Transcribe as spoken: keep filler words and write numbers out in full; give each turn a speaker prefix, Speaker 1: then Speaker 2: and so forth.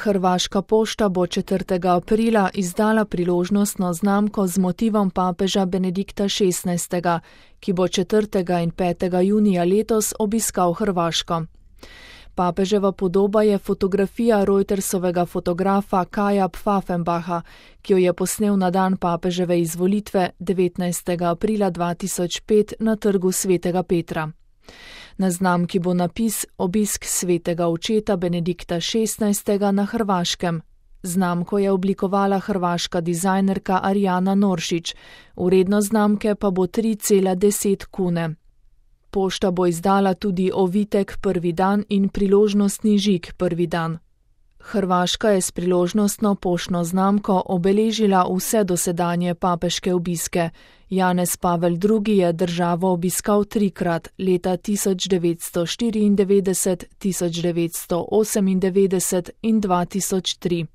Speaker 1: Hrvaška pošta bo četrtega aprila izdala priložnostno znamko z motivom papeža Benedikta šestnajstega, ki bo četrtega in petega junija letos obiskal Hrvaško. Papeževa podoba je fotografija Reutersovega fotografa Kaja Pfaffenbacha, ki jo je posnel na dan papeževe izvolitve devetnajstega aprila dva tisoč pet na trgu Svetega Petra. Na znamki bo napis Obisk svetega očeta Benedikta šestnajstega na Hrvaškem. Znamko je oblikovala hrvaška dizajnerka Arjana Noršič, vrednost znamke pa bo tri cela deset kune. Pošta bo izdala tudi ovitek prvi dan in priložnostni žig prvi dan. Hrvaška je s priložnostno poštno znamko obeležila vse dosedanje papeške obiske. Janez Pavel drugi je državo obiskal trikrat, leta tisoč devetsto štiriindevetdeset, tisoč devetsto osemindevetdeset in dva tisoč tri.